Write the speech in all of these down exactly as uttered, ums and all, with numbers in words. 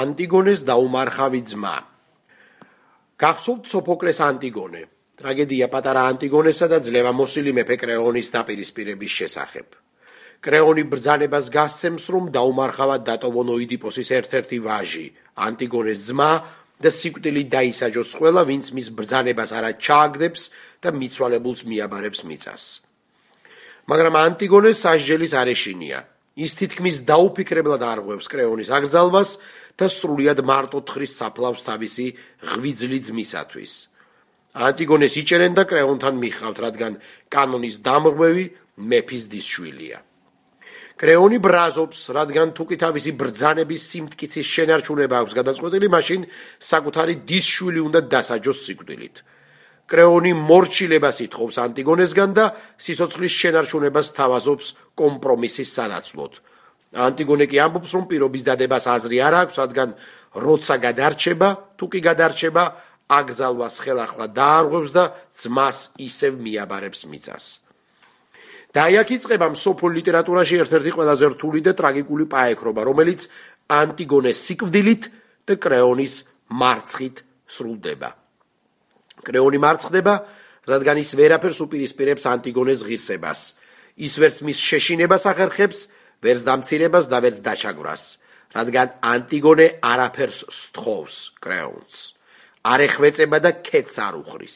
ანტიგონეს დაუმარხავი ძმა. გახსოვთ სოფოკლეს ანტიგონე, ტრაგედია პატარა ანტიგონესა და ძლევამოსილი მეფე კრეონის დაპირისპირების შესახებ. კრეონი ბრძანებას გასცემს, რომ დაუმარხავად დატოვონ ოიდიპოსის ერთ-ერთი ვაჟი, ანტიგონეს ძმა და სიკვდილით დაისაჯოს ყველა, ვინც მის ბრძანებას არა ჩააგდებს და მიცვალებულს მიაბარებს მიწას. მაგრამ ანტიგონე სასჯელის არ ეშინია. ის თითქმის დაუფიქრებლად არღვევს კრეონის აკრძალვას და სრულიად მარტო თხრის საფლავს თავისი ღვიძლი ძმისათვის. ანტიგონეს იჭერენ და კრეონთან მიხავთ, რადგან კანონის დამრღვევი მეფის დისშვილია. კრეონი ბრაზობს, რადგან თუკი თავისი ბრძანების სიმტკიცის შენარჩუნება აქვს გადაწყვეტილი, მაშინ საკუთარი დისშვილი უნდა დასაჯოს სიკვდილით. კრეონი მორჩილებას ითხოვს ანტიგონესგან და სიცოცხლის შენარჩუნებას თავაზობს კომპრომისის სანაცვლოდ. ანტიგონე კი ამბობს, რომ პირობის დადებას აზრი არ აქვს, რადგან როცა გადარჩება, თუკი გადარჩება, აკრძალვას ხელახლა დაარღვევს და ძმას ისევ მიაბარებს მიწას. და აქ იწყება მსოფლიო ლიტერატურაში ერთ-ერთი ყველაზე რთული და ტრაგიკული პაექრობა, რომელიც ანტიგონეს სიკვდილით და კრეონის მარცხით სრულდება. კრეონი მარცხდება, რადგან ის ვერაფერს უპირისპირებს ანტიგონეს ღირსებას. ის ვერც მის შეშინებას ახერხებს, ვერც დამცირებას და ვერც დაჩაგვრას, რადგან ანტიგონე არაფერს სთხოვს კრეონს. არ ეხვეწება და ქეთს არ უხრის,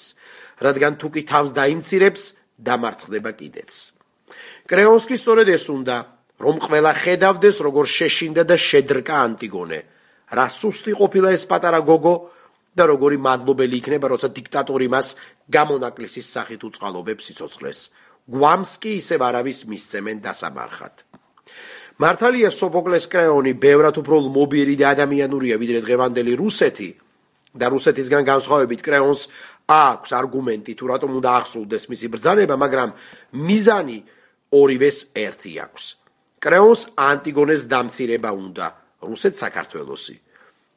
რადგან თუკი თავს დაიმცირებს, დამარცხდება კიდეც. კრეონს კი სწორედ ეს უნდა, რომ ყველა ხედავდეს, როგორ შეშინდა და შედრკა ანტიგონე, რა სუსტი ყოფილა ეს პატარა გოგო და როგორი მადლობელი იქნება, როცა დიქტატორი მას გამონაკლისის სახით უწყალობებს სიცოცხლეს. გვამს კი ისევ არავის მისცემენ დასამარხად. მართალია სოფოკლეს კრეონი ბევრად უფრო ლმობიერი და ადამიანურია, ვიდრე დღევანდელი რუსეთი და რუსეთისგან განსხვავებით კრეონს აქვს არგუმენტი, თუ რატომ უნდა ახსოვდეს მისი ბრძანება, მაგრამ მიზანი ორივეს ერთი აქვს. კრეონს ანტიგონეს დამცირება უნდა, რუსეთს საქართველოსი.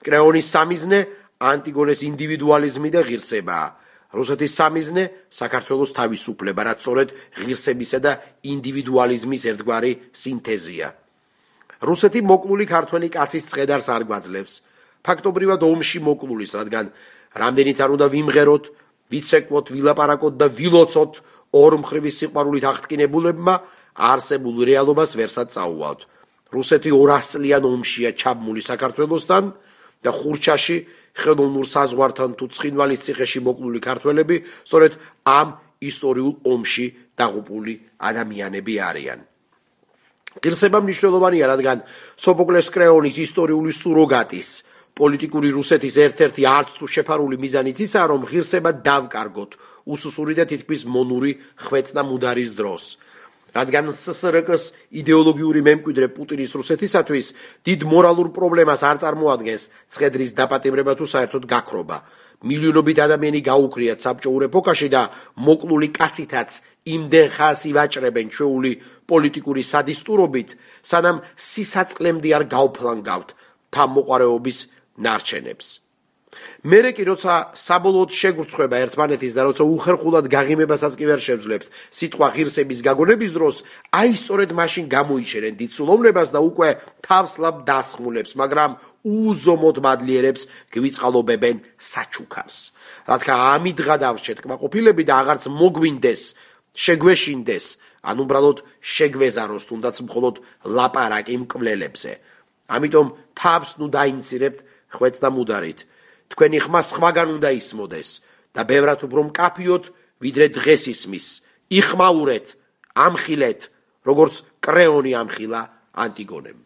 კრეონის სამიზნე ანტიგონეს ინდივიდუალიზმი და ღირსებაა. რუსეთის სამიზნე საქართველოს თავისუფლება, რაც სწორედ ღირსებისა და ინდივიდუალიზმის ერთგვარი სინთეზია. რუსეთი მოკლული ქართველი კაცის წხედარს არ გვაძლევს, ფაქტობრივად ომში მოკლულის, რადგან რამდენიც არ უნდა ვიმღეროთ, ვიცეკვოთ, ვილაპარაკოთ და ვილოცოთ ორმხრივი სიყვარულით აღტკინებულებმა, არსებულ რეალობას ვერსად წაუვალთ. რუსეთი ორასწლიან ომშია ჩაბმული საქართველოსთან და ხურჩაში ხელოვნურ საზღვართან თუ ცხინვალის ციხეში მოკლული ქართველები სწორედ ამ ისტორიულ ომში დაღუპული ადამიანები არიან. ღირსება მნიშვნელოვანია, რადგან სოფოკლეს კრეონის ისტორიული სუროგატის, პოლიტიკური რუსეთის ერთ-ერთი არც თუ შეფარული მიზანიც ისაა, რომ ღირსება დავკარგოთ უსუსური და თითქმის მონური ხვეწნა მუდარის დროს. რადგან სსრკ-ს იდეოლოგიური მემკვიდრე პუტინის რუსეთისათვის დიდ მორალურ პრობლემას არ წარმოადგენს ცხედრის დაპატიმრება თუ საერთოდ გაქრობა. მილიონობით ადამიანი გაუქრიათ საბჭოურ ეპოქაში და მოკლული კაცითაც იმდენ ხანს ივაჭრებენ ჩვეული პოლიტიკური სადისტურობით, სანამ სისაწყლემდე არ გავფლანგავთ თავმოყარეობის ნარჩენებს. მერე კი როცა საბოლოოდ შეგვრცხვება ერთმანეთის და როცა უხერხულად გაღიმებასაც კი ვერ შევძლებთ სიტყვა ღირსების გაგონების დროს, აი სწორედ მაშინ გამოიჩერენ დიდ სულოვნებას და უკვე თავსლაბ დასხმულებს, მაგრამ უზომოდ მადლიერებს გვიწყალობებენ საჩუქარს. რადგან ამით გადავშეთ კმაყოფილები და აღარც მოგვინდეს, შეგვეშინდეს, ან უბრალოდ შეგვეზაროს თუნდაც მხოლოდ ლაპარაკი მკვლელებზე. ამიტომ თავს ნუ დაიმცირებთ ხვეწდა მუდარით. თქვენი ხმა სხვაგან უნდა ისმოდეს და ბევრად უფრო მკაფიოთ, ვიდრე დღეს ისმის. იხმაურეთ, ამხილეთ, როგორც კრეონი ამხილა ანტიგონემ.